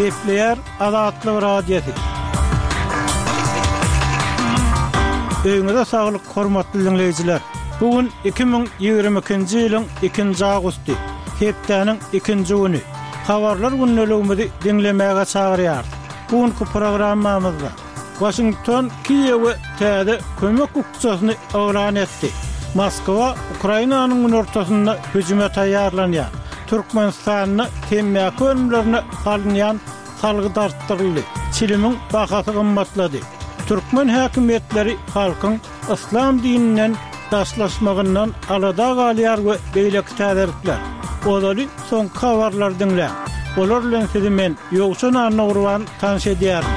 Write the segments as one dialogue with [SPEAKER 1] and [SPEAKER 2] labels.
[SPEAKER 1] Gepleýär Azatlyk Radiosy. Öýüňize saglyk, hormatly diňleýjiler! Bu gün 2022-nji ýylyň ikinji awgusty, hepdäniň ikinji güni. Habarlar gündeligimizi diňlemäge çagyrýarys. Bu günki programmamyzda Waşington Kiýewe täze kömek bukjasyny yglan etdi. Moskwa Ukrainanyň günortasynda hüjüme taýýarlanýar. Türkmenistanda temmäki önümlerine salynýan salgyt artdyryldy, çilimiň bahasy gymmatlady. Türkmen häkimiýetleri halkyň yslam dininden daşlaşmagyndan alada galýar we beýleki täzelikler. Ozaly soňky habarlary diňläň. Olar bilen sizi men, Ýowşan Annagurban tanyş edýärin.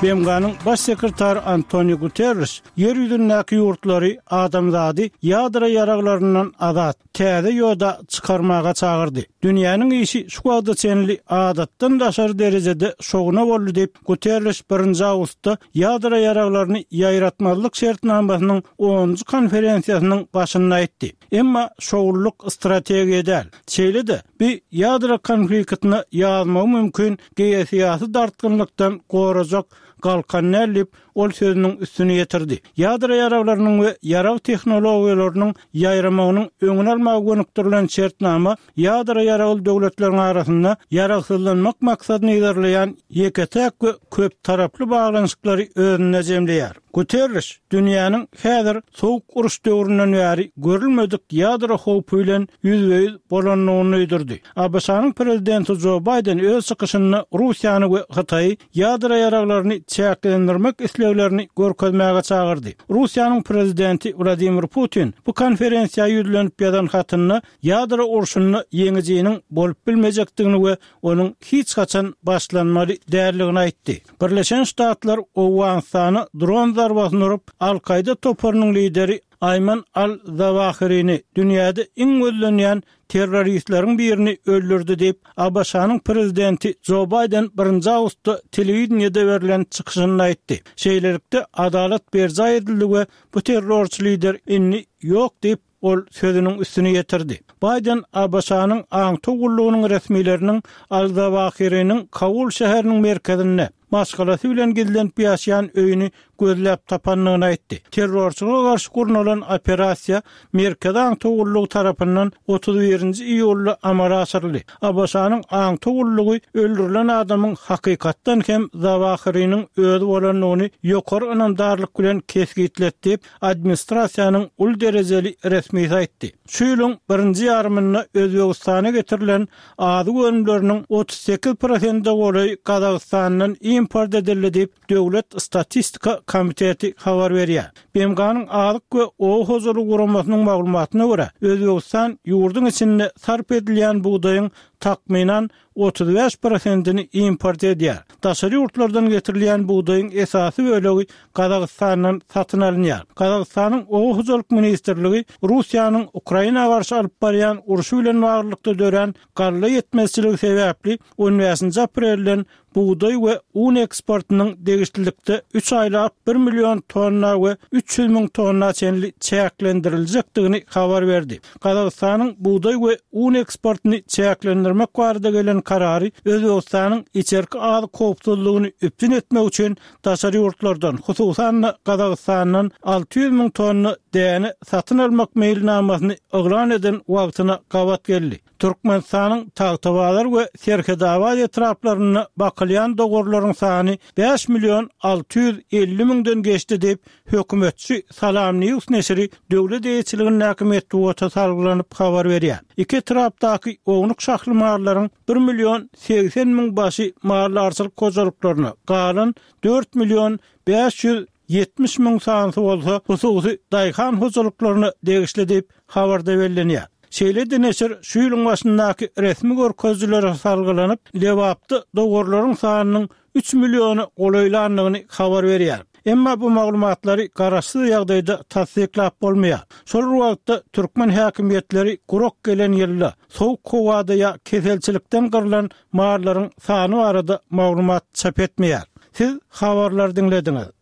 [SPEAKER 1] BMG-niň Baş sekretary Antoniu Guterriş Ýer ýüzündäki ýurtlary adamzady ýadro ýaraglaryndan azat, täze ýoda çykarmaga çagyrdy. Dünýäniň işi şu wagta çenli adatdan daşary derejede şowuna boldy diýip, Guterriş birinji awgustda ýadro ýaraglaryny ýaýratmazlyk şertnamasynyň onunjy konferensiýasynyň başynda aýtdy. Emma şowlulyk strategiýa däl. Şeýle-de, bi ýadro konfliktine ýazmagy mümkin geosyýasy dartgynlykdan gorajak galkan däl diýip, Ol sözüniň üstüni ýetirdi. Ýadro ýaraglarynyň we ýarag tehnologiýalarynyň ýaýramagynyň öňüni almaga gönükdirilen şertnama ýadro ýaragly döwletleriň arasynda ýaragsyzlanmak maksadyny yzarlaýan ýeke-täk we köptaraply baglanyşyklary özünde jemleýär. Guterriş dünýäniň häzir Sowuk uruş döwründen bäri görülmedik ýadro howpy bilen ýüzbe-ýüz bolandygyny duýdurdy. ABŞ-nyň prezidenti Jo Baýden öz çykyşynda Russiýany we Hytaýy ýadro ýaraglaryny çäklendirmek isleglerini görkezmäge çagyrdy. Russiýanyň prezidenti Wladimir Putin bu konferensiýa ýüzlenip ýazan hatynda ýadro urşunda ýeňijiniň bolup bilmejekdigini we onuň hiç haçan başlanmaly däldigini aýtdy. Birleşen Ştatlar Owganystana dron zarbasyny urup, Al-Kaýda toparynyň lideri Aýman al-Zawahirini, dünýäde iň gözlenýän terroristleriň birini öldürdi diýip, ABŞ-nyň prezidenti Jo Baýden birinji awgustda telewideniýede berlen çykyşynda aýtdy. Şeýlelikde, adalat berjaý edildi we bu terrorçy lider indi ýok diýip, Ol sözüniň üstüni ýetirdi. Baýden ABŞ-nyň aňtaw gullugynyň resmileriniň al-Zawahiriniň Kabul şäheriniň merkezinde, maşgalasy bilen gizlenip ýaşaýan öýüni gözläp tapandygyny aýtdy. Terrorçylyga garşy gurnalan operasiýa Merkezi aňtaw gullugy tarapyndan 31-nji iýulda amala aşyryldy. ABŞ-nyň aňtaw gullugy öldürilen adamyň hakykatdan hem Zawahiriniň özi bolandygyny ýokary ynamdarlyk bilen kesgitledi diýip, administrasiýanyň uly derejeli resmisi aýtdy. Şu ýylyň birinji ýarymynda Özbegistana getirilen azyk önümleriniň 38 prosente golaýy Gazagystandan import edildi diýip, Döwlet statistika komiteti habar berýär. BMG-niň Azyk we oba hojalygy guramasynyň maglumatyna görä, Özbegistan ýurduň içinde sarp edilýän bugdaýyň takmynan 35 prosentini import edýär. Daşary ýurtlardan getirilýän bugdaýyň esasy bölegi Gazagystandan satyn alynýar. Gazagystanyň Oba hojalyk ministrligi Russiýanyň Ukraina garşy alyp barýan urşy bilen baglylykda dörän galla ýetmezçiligi sebäpli on bäşinji aprelden bugdaý we un eksportynyň degişlilikde üç aýlap bir million tonna we 300 müň tonna çenli çäklendiriljekdigini habar berdi. Gazagystanyň bugdaý we un eksportyny çäklendirmek barada gelen karary Özbegistanyň içerki azyk howpsuzlygyny üpjün etmek üçin daşary ýurtlardan, hususan-da, Gazagystandan 600 müň tonna däne satyn almak meýilnamasyny yglan eden wagtyna gabat geldi. Türkmenistanyň Tagtabazar we Serhetabat etraplarynda bakylýan dowarlaryň sany 5 million 650 müňden geçdi diýip, hökümetçi SalamNews neşiri döwlet eýeçiligindäki metbugata salgylanyp habar berýär. Iki etrapdaky ownuk şahly mallaryň bir million 80 müň başy maldarçylyk hojalyklaryna, galan 4 million 570 müň sanysy bolsa hususy daýhan hojalyklaryna degişli diýip, habarda bellenýär. Şeýle-de neşir şu ýylyň başyndaky resmi görkezijilere salgylanyp, Lebapda dowarlaryň sanynyň üç milliona golaýlandygyny habar berýär. Emma bu maglumatlary garaşsyz ýagdaýda tassyklap bolmaýar. Şol bir wagtda, türkmen häkimiýetleri gurak gelen ýylda, sowuk howada ýa keselçilikden gyrlan mallaryň sany barada maglumat çap etmeýär. Siz habarlary diňlediňiz.